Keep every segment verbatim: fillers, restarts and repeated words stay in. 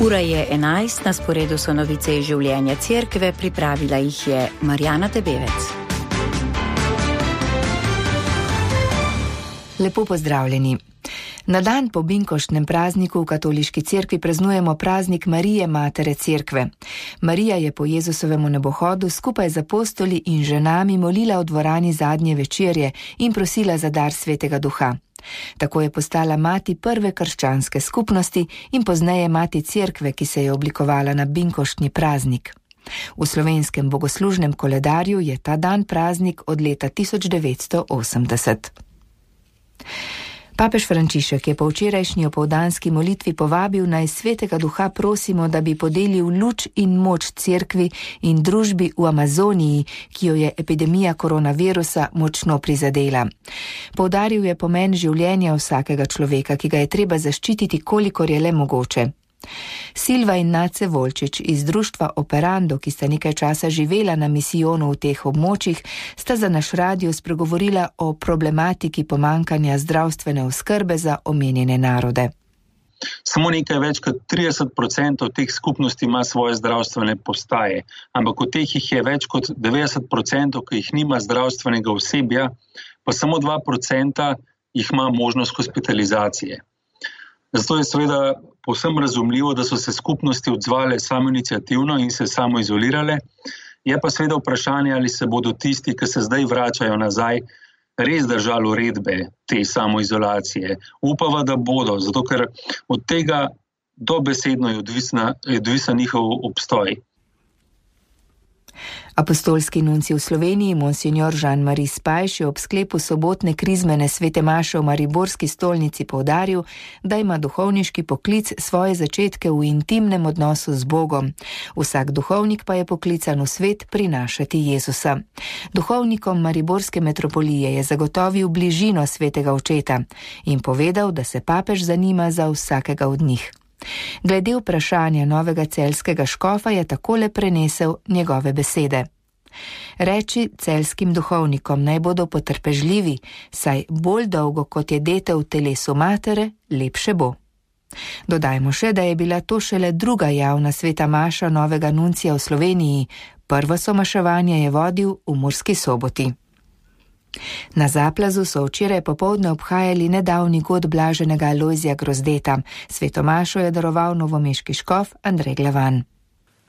Ura je enajst, na sporedu so novice iz življenja cerkve, pripravila jih je Marjana Tebevec. Lepo pozdravljeni. Na dan po binkoštnem prazniku v katoliški cerkvi praznujemo praznik Marije, matere cerkve. Marija je po Jezusovemu nebohodu skupaj z apostoli in ženami molila v dvorani zadnje večerje in prosila za dar Svetega Duha. Tako je postala mati prve krščanske skupnosti in pozneje mati cerkve, ki se je oblikovala na binkoštni praznik. V slovenskem bogoslužnem koledarju je ta dan praznik od leta tisoč devetsto osemdeset. Papež Frančišek je po včerajšnji opoldanski molitvi povabil, naj Svetega Duha prosimo, da bi podelil luč in moč cerkvi in družbi v Amazoniji, ki jo je epidemija koronavirusa močno prizadela. Poudaril je pomen življenja vsakega človeka, ki ga je treba zaščititi, kolikor je le mogoče. Silva in Nace Volčič iz društva Operando, ki sta nekaj časa živela na misijonu v teh območjih, sta za naš radio spregovorila o problematiki pomankanja zdravstvene oskrbe za omenjene narode. Samo nekaj več kot trideset procentov teh skupnosti ima svoje zdravstvene postaje, ampak od teh jih je več kot devetdeset procentov, ki jih nima zdravstvenega osebja, pa samo dva procenta jih ima možnost hospitalizacije. Zato je seveda povsem razumljivo, da so se skupnosti odzvale samoiniciativno in se samoizolirale. Je pa seveda vprašanje, ali se bodo tisti, ki se zdaj vračajo nazaj, res držali uredbe te samoizolacije. Upava, da bodo, zato ker od tega dobesedno je odvisna, je odvisen njihov obstoj. Apostolski nuncij v Sloveniji, monsignor Jean-Marie Spajš, je ob sklepu sobotne krizmene svete maše v mariborski stolnici poudaril, da ima duhovniški poklic svoje začetke v intimnem odnosu z Bogom. Vsak duhovnik pa je poklican v svet prinašati Jezusa. Duhovnikom mariborske metropolije je zagotovil bližino svetega očeta in povedal, da se papež zanima za vsakega od njih. Glede vprašanja novega celjskega škofa je takole prenesel njegove besede. Reči celjskim duhovnikom, naj bodo potrpežljivi, saj bolj dolgo kot je dete v telesu matere, lepše bo. Dodajmo še, da je bila to šele druga javna sveta maša novega nuncija v Sloveniji, prvo somaševanje je vodil v Murski Soboti. Na Zaplazu so včeraj popoldne obhajali nedavni god blaženega Alojzija Grozdeta. Sveto mašo je daroval novomeški škof Andrej Glavan.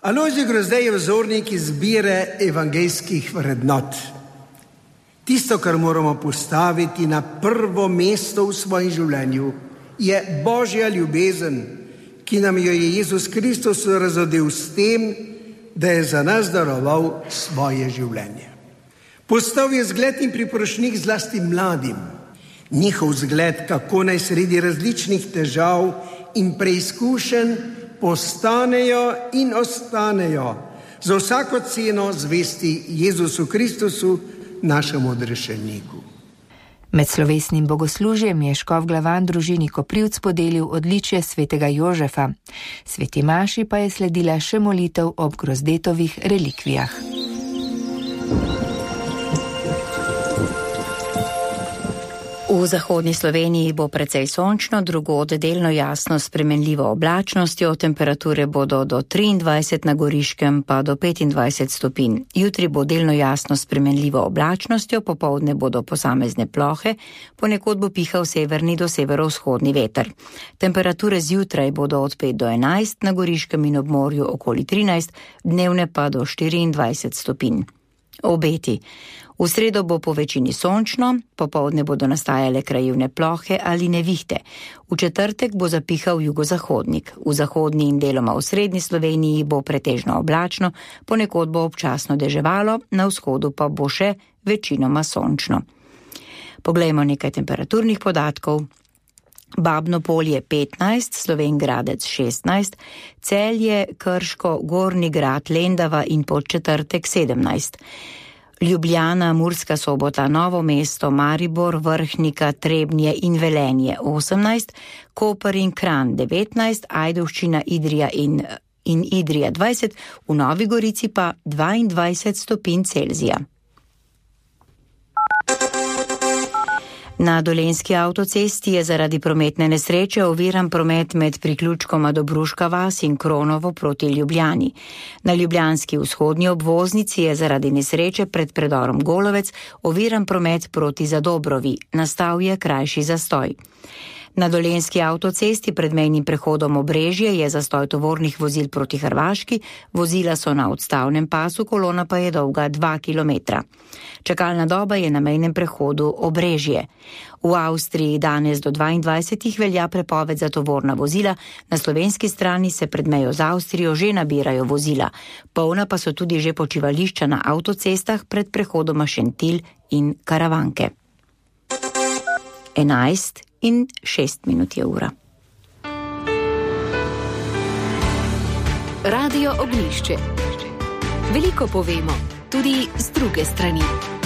Alojzij Grozdej je vzornik izbire evangeljskih vrednot. Tisto, kar moramo postaviti na prvo mesto v svojem življenju, je Božja ljubezen, ki nam jo je Jezus Kristus razodel s tem, da je za nas daroval svoje življenje. Postal je zgled in priporočnik zlasti mladim. Njihov zgled, kako naj sredi različnih težav in preizkušenj postanejo in ostanejo za vsako ceno zvesti Jezusu Kristusu, našemu odrešeniku. Med slovesnim bogoslužjem je škof Glavan družini Koprivc podelil odličje svetega Jožefa. Sveti maši pa je sledila še molitev ob Grozdetovih relikvijah. V zahodni Sloveniji bo precej sončno, drugod delno jasno s spremenljivo oblačnostjo, temperature bodo do triindvajset na Goriškem pa do petindvajset stopinj. Jutri bo delno jasno s spremenljivo oblačnostjo, popoldne bodo posamezne plohe, ponekod bo pihal severni do severovzhodni veter. Temperature zjutraj bodo od pet do enajst, na Goriškem in ob morju okoli trinajst, dnevne pa do štiriindvajset stopinj. Obeti. V sredo bo po večini sončno, popoldne bodo nastajale krajevne plohe ali nevihte. V četrtek bo zapihal jugozahodnik. V zahodni in deloma v srednji Sloveniji bo pretežno oblačno, ponekod bo občasno deževalo, na vzhodu pa bo še večinoma sončno. Poglejmo nekaj temperaturnih podatkov. Babno Polje petnajst, Slovenj Gradec šestnajst, Celje, Krško, Gornji Grad, Lendava in Podčetrtek sedemnajst. Ljubljana, Murska Sobota, Novo mesto, Maribor, Vrhnika, Trebnje in Velenje osemnajst, Koper in Kranj devetnajst, Ajdovščina, Idrija in, in Idrija dvajset, v Novi Gorici pa dvaindvajset stopinj Celzija. Na Dolenjski avtocesti je zaradi prometne nesreče oviran promet med priključkoma Dobruška vas in Kronovo proti Ljubljani. Na ljubljanski vzhodnji obvoznici je zaradi nesreče pred predorom Golovec oviran promet proti Zadobrovi, nastal je krajši zastoj. Na Dolenjski avtocesti pred mejnim prehodom Obrežje je zastoj tovornih vozil proti Hrvaški, vozila so na odstavnem pasu, kolona pa je dolga dva kilometra. Čakalna doba je na mejnem prehodu Obrežje. V Avstriji danes do dvaindvajsetih velja prepoved za tovorna vozila, na slovenski strani se pred mejo z Avstrijo že nabirajo vozila. Polna pa so tudi že počivališča na avtocestah pred prehodoma Šentilj in Karavanke. enajst in šest minut je ura. Radio Ognjišče. Veliko povemo, tudi z druge strani.